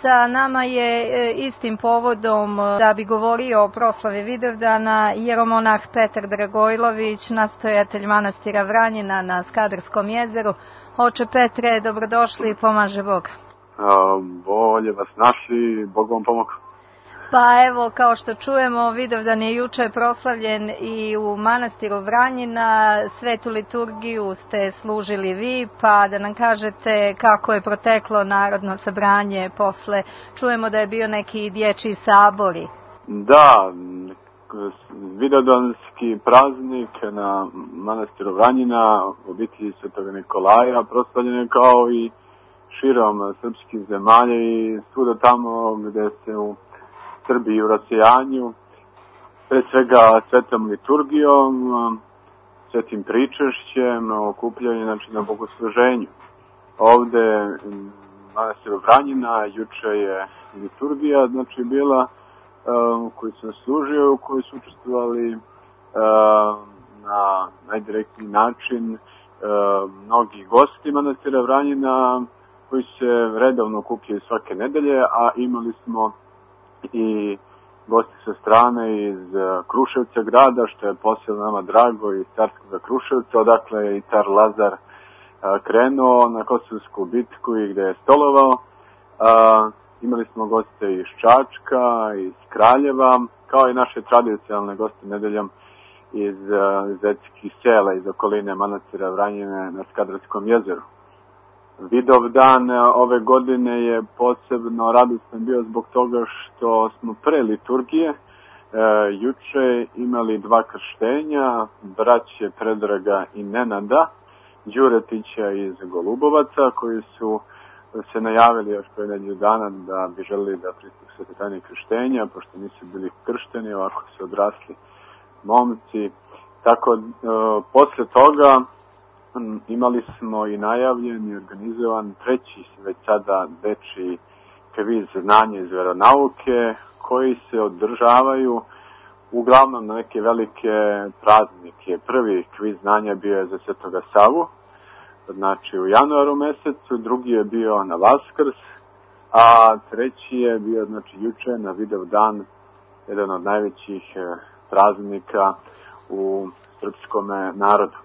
Sa nama je istim povodom da bi govorio o proslavi Vidovdana jeromonah Petar Dragojlović, nastojatelj manastira Vranjina na Skadarskom jezeru. Oče Petre, dobrodošli i pomaže Bog. Bolje vas našli, Bog vam pomogu. Pa evo, kao što čujemo, Vidovdan je juče proslavljen i u manastiru Vranjina. Svetu liturgiju ste služili vi, pa da nam kažete kako je proteklo narodno sabranje posle. Čujemo da je bio neki dječji sabori. Da, Vidovdanski praznik na manastiru Vranjina, obitelji Svetog Nikolaja, proslavljen je kao i širom srpskih zemalja i svuda tamo gde se u Srbiji u rasejanju, pre svega svetom liturgijom, svetim pričešćem, okupljanje na bogosluženju. Ovde manastiru Vranjina juče je liturgija, bila u kojoj sam služio, u kojoj su učestvovali na najdirektniji način mnogi gosti manastira Vranjina koji se redovno okupljaju svake nedelje, a imali smo i gosti sa strane iz Kruševca grada, što je posebno nama drago, iz Carskog Kruševca, odakle je i car Lazar krenuo na Kosovsku bitku i gde je stolovao. Imali smo goste iz Čačka, iz Kraljeva, kao i naše tradicionalne goste nedeljom iz zetskih sela, iz okoline manastira Vranjine na Skadarskom jezeru. Vidovdan ove godine je posebno radostan bio zbog toga što smo pre liturgije juče imali 2 krštenja, braće Predraga i Nenada Đuretića iz Golubovaca, koji su se najavili još pre nedelju dana da bi želeli da pristupe svetoj tajni krštenja, pošto nisu bili kršteni, ovako su odrasli momci. Tako, posle toga imali smo i najavljen i organizovan treći već sada dečiji kviz znanja iz veronauke, koji se održavaju uglavnom na neke velike praznike. Prvi kviz znanja bio je za Svetoga Savu, u januaru mesecu, drugi je bio na Vaskrs, a treći je bio juče na Vidovdan, jedan od najvećih praznika u srpskom narodu.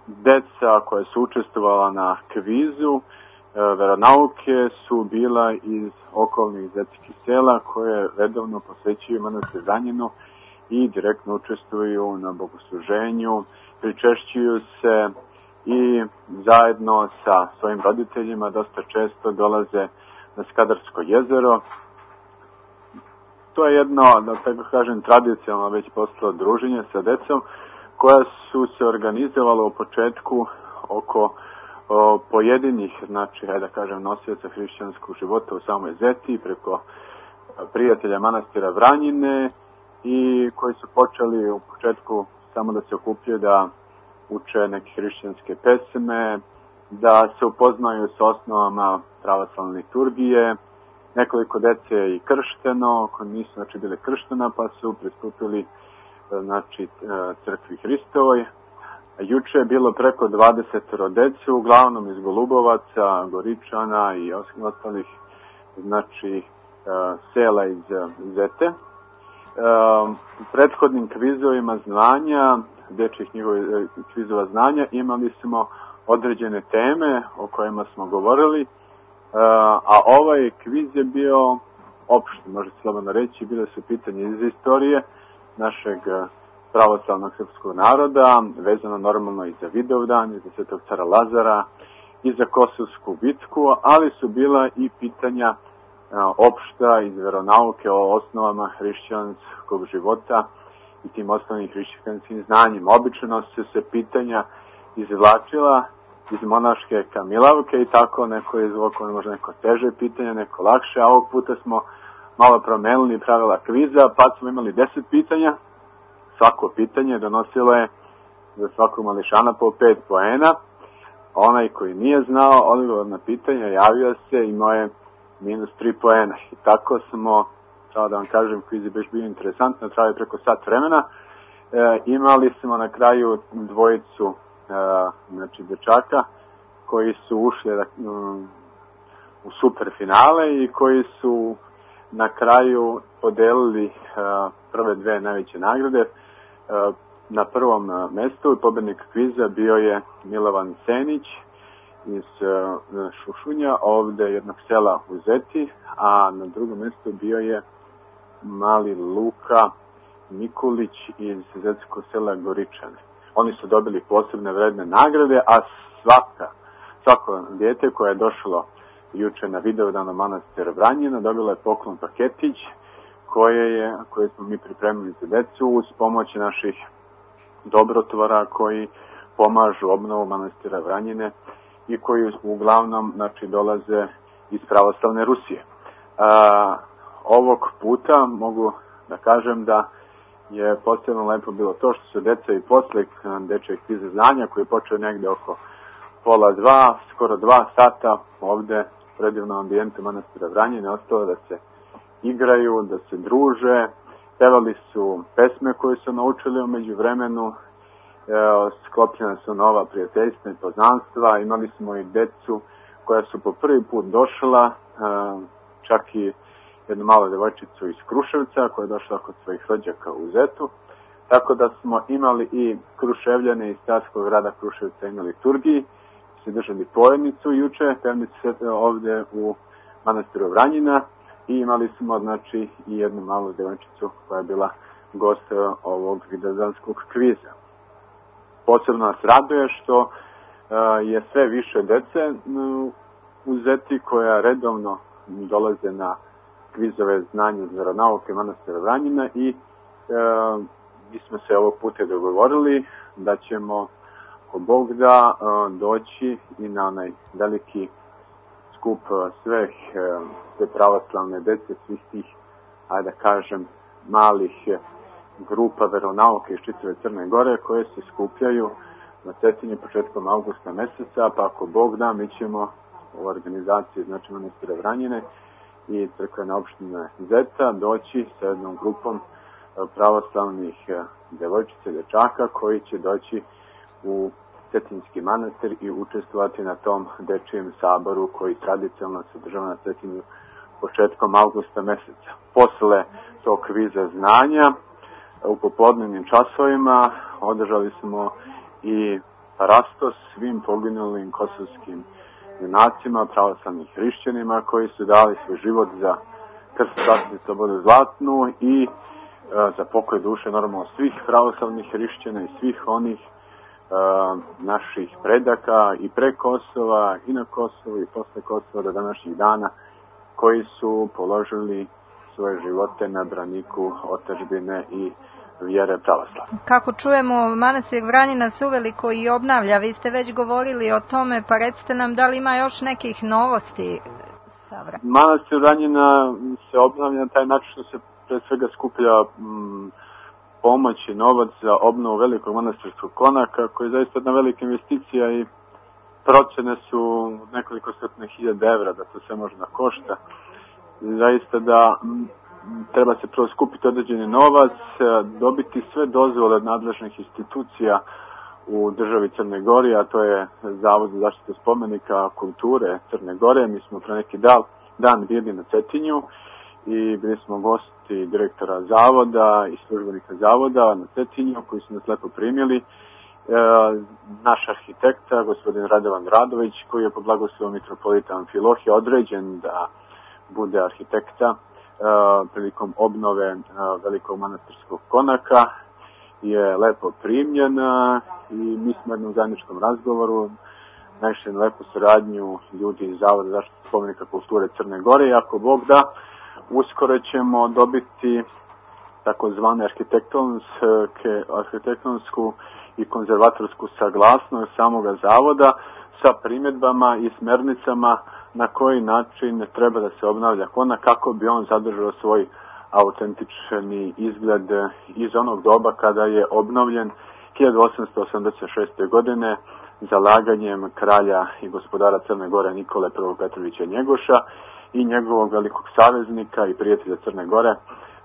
Deca koja su učestvovala na kvizu veronauke su bila iz okolnih zetskih sela koje redovno posećuju manastir Vranjinu i direktno učestvuju na bogosluženju, pričešćuju se i zajedno sa svojim roditeljima dosta često dolaze na Skadarsko jezero. To je jedno, da tako kažem, tradicionalno već postalo druženje sa decom koja su se organizovala u početku oko pojedinih, nosioca hrišćanskog života u samoj Zeti, preko prijatelja manastira Vranjine i koji su počeli u početku samo da se okupljaju, da uče neke hrišćanske pesme, da se upoznaju sa osnovama pravoslavne liturgije. Nekoliko dece je i kršteno, koji nisu bili krštena, pa su pristupili crkvi Hristovoj. Juče je bilo preko 20 dece, uglavnom iz Golubovaca, Goričana i ostalih sela iz Zete. U prethodnim kvizovima znanja, dečjih njihovih kvizova znanja, imali smo određene teme o kojima smo govorili, a ovaj kviz je bio opšti, može slobodno reći, bile su pitanje iz istorije našeg pravoslavnog srpskog naroda, vezano normalno i za Vidovdan, i za Svetog cara Lazara, i za Kosovsku bitku, ali su bila i pitanja opšta iz veronauke o osnovama hrišćanskog života i tim osnovnim hrišćanskim znanjima. Obično su se pitanja izvlačila iz monaške kamilavke i tako neko je izvukao možda neko teže pitanje, neko lakše, a ovog puta smo malo promenili pravila kviza, pa smo imali 10 pitanja. Svako pitanje donosilo je za svakog mališana po 5 poena. Onaj koji nije znao odgovor na pitanje javio se, imao je -3 poena. I tako smo, treba da vam kažem, kviz je baš bio interesantno, trajao preko sat vremena. Imali smo na kraju dvojicu dečaka koji su ušli u superfinale i koji su na kraju podelili prve dve najveće nagrade. Na prvom mestu pobednik kviza bio je Milovan Senić iz Šušunja, ovde jednog sela u Zeti, a na drugom mestu bio je mali Luka Mikulić iz zetskog sela Goričane. Oni su dobili posebne vredne nagrade, a svako dijete koje je došlo juče na Vidovdan u manastir Vranjina dobilo je poklon paketić koje smo mi pripremili za decu uz pomoć naših dobrotvora koji pomažu obnovu manastira Vranjine i koji uglavnom dolaze iz pravoslavne Rusije. Ovog puta mogu da kažem da je posebno lepo bilo to što su deca i posle dečjeg kviza znanja koji je počeo negde oko 1:30, skoro 2 sata ovde u predivnom ambijentu manastira Vranjine ostalo da se igraju, da se druže, pevali su pesme koje su naučili u međuvremenu, sklopljena su nova prijateljstva i poznanstva, imali smo i decu koja su po prvi put došla, čak i jednu malu devojčicu iz Kruševca koja je došla kod svojih rođaka u Zetu, tako da smo imali i Kruševljane iz Starskog grada Kruševca imali liturgiji, se držali pojednicu juče, pevnice ovde u manastiru Vranjina i imali smo i jednu malu devojčicu koja je bila gost ovog vidovdanskog kviza. Posebno nas raduje što je sve više dece u Zeti koja redovno dolaze na kvizove znanja iz veronauke manastira Vranjina i mi smo se ovog puta dogovorili da ćemo ako Bog da doći i na onaj veliki skup sve pravoslavne dece, svih tih, ajde da kažem, malih grupa veronauke iz čitave Crne Gore koje se skupljaju na Cetinju početkom avgusta meseca, pa ako Bog da mi ćemo u organizaciji manastira Vranjine i crkvene opštine Zeta doći sa jednom grupom pravoslavnih devojčica i dečaka koji će doći u Cetinjski manastir i učestvovati na tom dečijem saboru koji tradicionalno se održava na Cetinju početkom avgusta meseca. Posle tog kviza znanja u popodnevnim časovima održali smo i parastos svim poginulim kosovskim junacima, pravoslavnim hrišćanima koji su dali svoj život za krst, čast i slobodu zlatnu i za pokoj duše normalno svih pravoslavnih hrišćana i svih onih naših predaka i pre Kosova i na Kosovu i posle Kosova do današnjih dana koji su položili svoje živote na braniku otadžbine i vjere pravoslavne. Kako čujemo, manastir Vranjina se uveliko i obnavlja. Vi ste već govorili o tome, pa recite nam da li ima još nekih novosti sa Vranjina? Manastir Vranjina se obnavlja na taj način što se pre svega skuplja pomoć i novac za obnovu velikog manastirskog konaka, koji je zaista jedna velika investicija i procene su nekoliko stotina hiljada evra da to sve može da košta. Zaista da treba se prvo skupiti određeni novac, dobiti sve dozvole od nadležnih institucija u državi Crne Gore, a to je Zavod za zaštitu spomenika kulture Crne Gore. Mi smo pre neki dan bili na Cetinju i bili smo gosti direktora zavoda i službenika zavoda na Cetinju koji su nas lepo primili. Naš arhitekta, gospodin Radovan Radović, koji je po blagoslovu mitropolita Amfilohija određen da bude arhitekta prilikom obnove velikog manastirskog konaka, je lepo primljen i mi smo u jednom zajedničkom razgovoru našli lepu saradnju ljudi iz Zavoda za zaštitu spomenika kulture Crne Gore i ako Bog da, uskoro ćemo dobiti takozvane arhitektonsku i konzervatorsku saglasnost samoga zavoda sa primjedbama i smernicama na koji način treba da se obnavlja konak kako bi on zadržao svoj autentični izgled iz onog doba kada je obnovljen 1886. godine zalaganjem kralja i gospodara Crne Gore Nikole I. Petrovića Njegoša i njegovog velikog saveznika i prijatelja Crne Gore,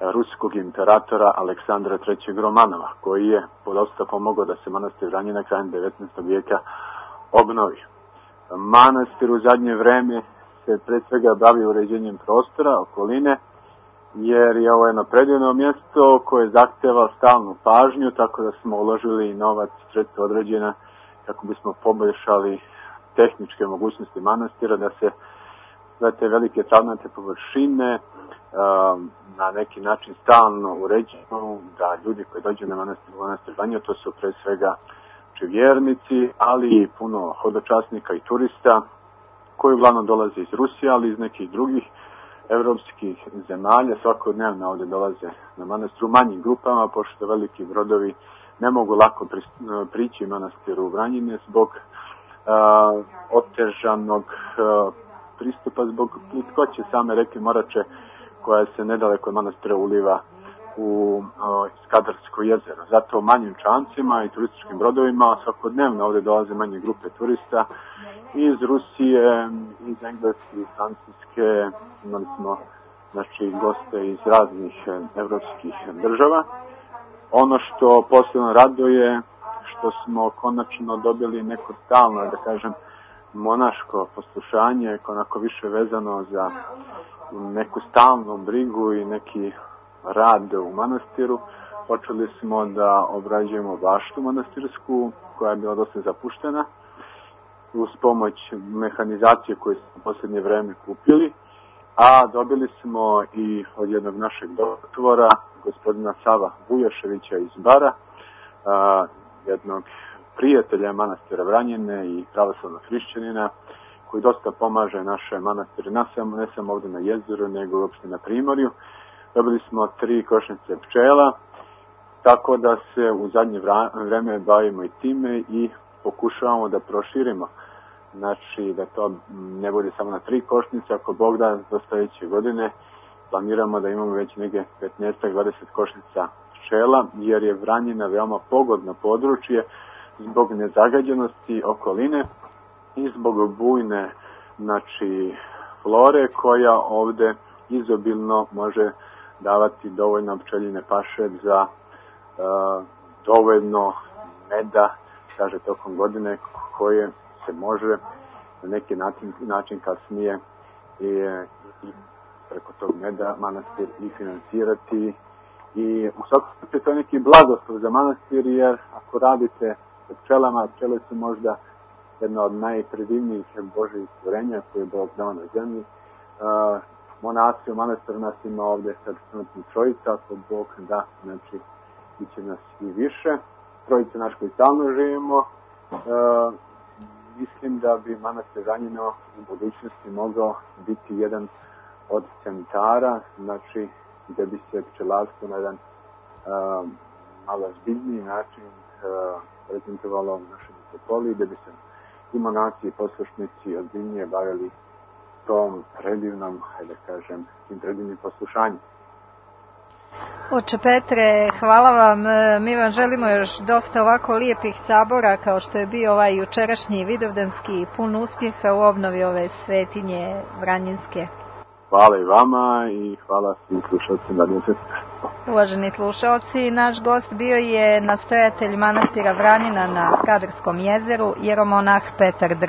ruskog imperatora Aleksandra III. Romanova, koji je dosta pomogao da se manastir Vranjina krajem 19. vijeka obnovi. Manastir u zadnje vreme se pre svega bavi uređenjem prostora, okoline, jer je ovo jedno predivno mjesto koje zahteva stalnu pažnju, tako da smo uložili novac, sredstva određena kako bismo poboljšali tehničke mogućnosti manastira, da se te velike travnate površine na neki način stalno uređuju, da ljudi koji dođu na manastir Vranje, to su pre svega vjernici, ali i puno hodočasnika i turista koji uglavnom dolaze iz Rusije, ali iz nekih drugih evropskih zemalja. Svakodnevno ovdje dolaze na manastir u manjim grupama, pošto veliki brodovi ne mogu lako prići manastiru Vranjine zbog otežanog pristupa, zbog plitkoće same reke Morače koja se nedaleko od manastira uliva u Skadarsko jezero. Zato manjim čamcima i turističkim brodovima svakodnevno ovdje dolaze manje grupe turista iz Rusije, iz Engleske, iz Francuske. Imali smo goste iz raznih evropskih država. Ono što posebno raduje, što smo konačno dobili neko stalno, da kažem, monaško poslušanje, onako više vezano za neku stalnu brigu i neki rad u manastiru. Počeli smo da obrađujemo baštu manastirsku, koja je bila dosta zapuštena, uz pomoć mehanizacije koju smo u posljednje vreme kupili, a dobili smo i od jednog našeg doktora, gospodina Sava Bujaševića iz Bara, jednog prijatelja manastira Vranjine i pravoslavnog hrišćanina, koji dosta pomaže naše manastire, ne samo ovdje na jezeru, nego uopšte na Primorju. Dobili smo 3 košnice pčela, tako da se u zadnje vreme bavimo i time i pokušavamo da proširimo. Znači, da to ne bude samo na 3 košnice, ako Bog da do sljedeće godine planiramo da imamo već neke 15-20 košnica pčela, jer je Vranjina veoma pogodno područje zbog nezagađenosti okoline i zbog bujne flore koja ovde izobilno može davati dovoljno pčeljine paše za dovoljno meda, kaže, tokom godine, koje se može na neki način kasnije i preko tog meda manastir i financirati. I u svakom slučaju to je neki blagoslov za manastir, jer ako radite sa pčelama, pčele su možda jedna od najpredivnijih Božjih stvorenja koje je Bog dao na zemlji. Monasi u manastiru nas ima ovdje sad trenutno 3, ako Bog da, znači bit će nas i više. 3 naš koji stalno živimo. Mislim da bi manastir Vranjino u budućnosti mogao biti jedan od centara, znači gdje bi se pčelarstvo na jedan malo zbiljniji način prezentovalo u našoj metropoli, gdje bi se i monasi i poslušnici ozbiljnije bavili tom predivnom, da kažem, tim predivnim poslušanjem. Oče Petre, hvala vam. Mi vam želimo još dosta ovako lijepih sabora kao što je bio ovaj jučerašnji vidovdanski, pun uspjeha u obnovi ove svetinje Vranjinske. Hvala i vama i hvala svim slušalcima Radio Sestre. Uvaženi slušalci, naš gost bio je nastojatelj manastira Vranjina na Skadarskom jezeru, jeromonah Petar Drlja.